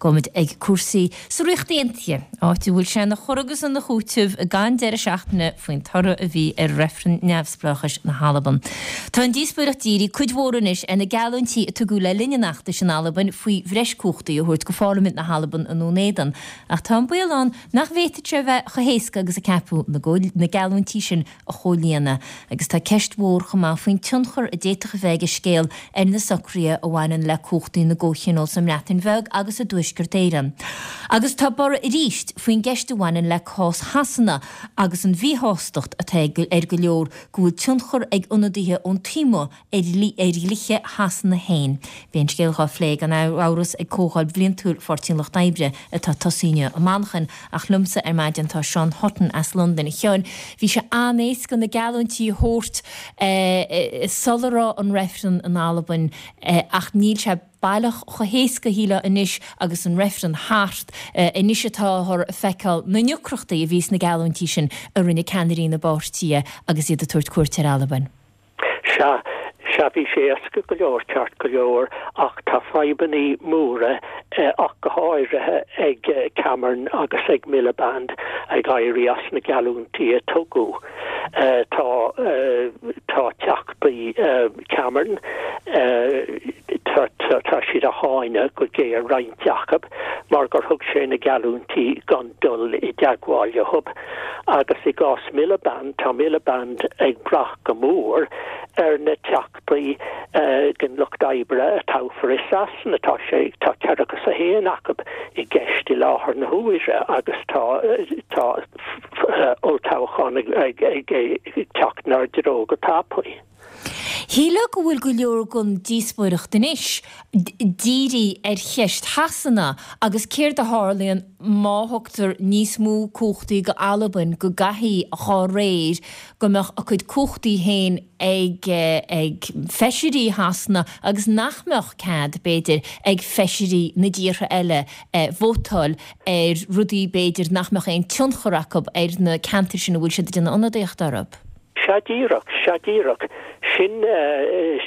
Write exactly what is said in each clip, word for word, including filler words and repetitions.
Gabhfaimid ag cúrsaí sa Ríocht Aontaithe, áit a bhfuil sé ina chur agus ina chúiteamh gan deireadh seachtaine faoin toradh a bhí ar reifreann neamhspleáchais na hAlban. Tá an díospóireacht dírithe cuid mhór anois ar na geallúintí a tugadh le linn an fheachtais in Albain faoi bhreis cumhachtaí a thabhairt go Pharlaimint na hAlban i nDún Éideann, ach tá an baol ann nach bhféadfadh sé a bheith chomh héasca agus a ceapadh na geallúintí sin a chomhlíonadh. Agus tá ceist mhór chomh maith faoin tionchar a d'fhéadfadh a bheith ag an scéal ar na socruithe a bhaineann le cumhachtaí na gcomhthionól sa mBreatain Bheag agus i dTuaisceart Éireann. Agus tá borradh arís faoin gceist a bhaineann le cás Shasana agus an mhíshástacht atá ar go leor go bhfuil tionchar ag ionadaithe ón taobh amuigh ar dhlíthe Shasana féin. Beidh an scéal dhá phlé gan amhras ag Comhdháil Bhliantúil Pháirtí an Lucht Oibre atá tosaithe inniu i Manchain, ach liomsa ar maidin tá Seán Hutton as Londain. A Sheáin, bhí sé an-éasca na geallúintí a thabhairt sula raibh an reifreann in Albain ach níl sé baileach chomh héasca shílfeá anois agus an reifreann thart. Anois atáthar ag feiceáil na ndeacrachtaí a bhí sna geallúintí sin a rinne ceannairí na bpáirtithe agus iad ag tabhairt cuairt ar Albain. Sea, sea, bhí sé éasca go leor, ceart go leor, ach tá fadhbannaí móra, ach go háirithe ag Cameron agus ag Miliband ag éirí as na geallúintí a tugadh. Tá, tá teachtaí Cameron, tá, tá siad á cháineadh go géar, roinnt acu, mar gur thug sé na geallúintí gan dul i dteagmháil leo. Agus i gcás Miliband, tá Miliband ag brath go mór ar na teachtaí den Lucht Oibre a toghfar i Sasana. Tá sé, tá ceathracha is a haon acu i gceist i láthair na huaire agus tá, tá olltoghchán ag, ag, ag, ag teacht inár dtreo go tapaidh. Shílfeá go bhfuil go leor den díospóireacht anois dírithe ar cheist Shasana agus céard a tharlaíonn má thugtar níos mó cumhachtaí go Albain go gcaithfidh dhá réir go mbeadh a cuid cumhachtaí féin ag ag feisirí Shasana agus nach mbeadh cead, b'fhéidir, ag feisirí na dtíortha eile vótáil ar rudaí b'fhéidir nach mbeadh aon tionchar acu ar na ceantair sin a bhfuil siad ag déanamh ionadaíocht orthu. Sea díreach, sea díreach. Sin,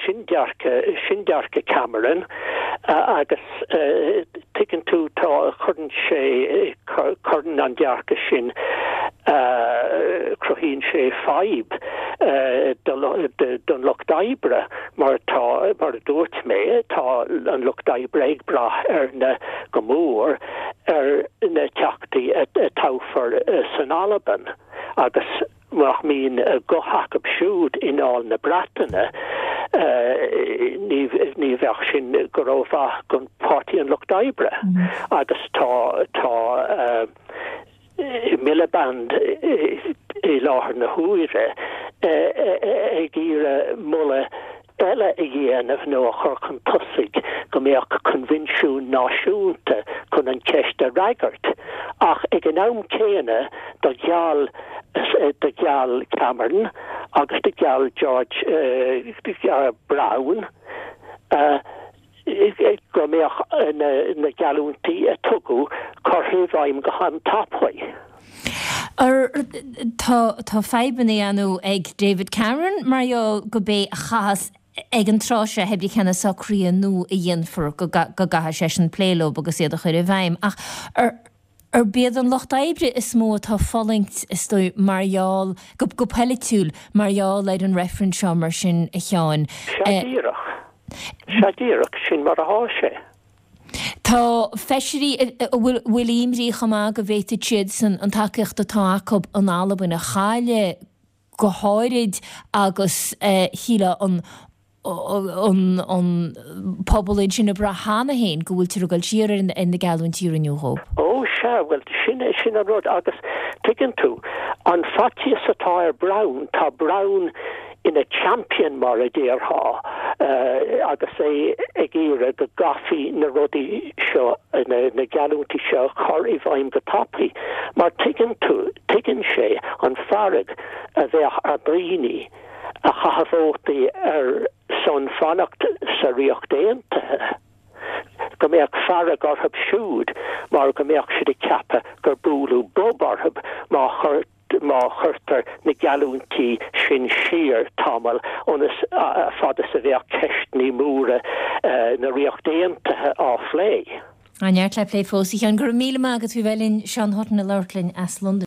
sin dearcadh, sin dearcadh Cameron agus tuigeann tú, tá, cuireann sé, cuireann an dearcadh sin, cruthaíonn sé fadhb don lucht oibre mar tá, mar a dúirt mé, tá an lucht oibre ag brath ar na, go mór, ar na teachtaí a toghfar san Albain agus Nach mbíonn guth acu siúd i nDáil na Breataine, ní bheadh sin go rómhaith don Pháirtí an Lucht Oibre. Agus tá tá Miliband i láthair na huaire ag iarraidh moladh eile a dhéanamh nó a chur chun tosaigh go mbeadh coinbhinsiún náisiúnta chun an cheist a fhreagairt ach ag an am céanna do gheall do gheall Cameron agus do gheall George Brown go mbeadh na geallúintí a tugadh curtha i bhfeidhm go han-tapaidh. Tá tá fadhbanna ann ag David Cameron mar gheall go b'é a chaithfeas ag an tráth seo pé ar bith cé na socruithe nua a dhéanfar go gcaithfidh seisean plé leo agus iad a chur i bhfeidhm ach arb iad an lucht oibre is mó atá ag fulaingt is dóigh mar gheall, go polaitiúil, mar gheall ar an reifreann seo mar sin a Sheáin. Sea díreach. Sea díreach, sin mar athá sé. Tá feisirí a bhfuil imní chomh maith go bhféadfadh siadsan an tacaíocht atá acu in Albain a chailleadh go háirid agus shílfeá an an an pobal ansin ag brath cheana féin go bhfuiltear ag dul siar ar na geallúintí a rinneadh dhóibh. Ó sea, bhuel sin sin an rud agus tuigeann tú, an faitíos atá ar Brown, tá Brown ina champion mar a déarfá agus é ag iarraidh go gcaithfí na rudaí seo, na geallúintí seo a chur i bhfeidhm go tapaidh mar tuigeann tú, tuigeann sé an fearg a bheadh ar dhaoine a chaith vótaí ar son fanacht sa Ríocht Aontaithe, go mbeadh fearg orthu siúd mar go mbeadh siad ag ceapadh gur bualadh bob orthu má má chuirtear na geallúintí sin siar tamall ionas fad is a bheadh ceisteanna móra na Ríochta Aontaithe á phlé. An neart le plé fós a Sheáin go raibh míle maith agat bheith linn Seán Hutton ag labhairt linn as Londain.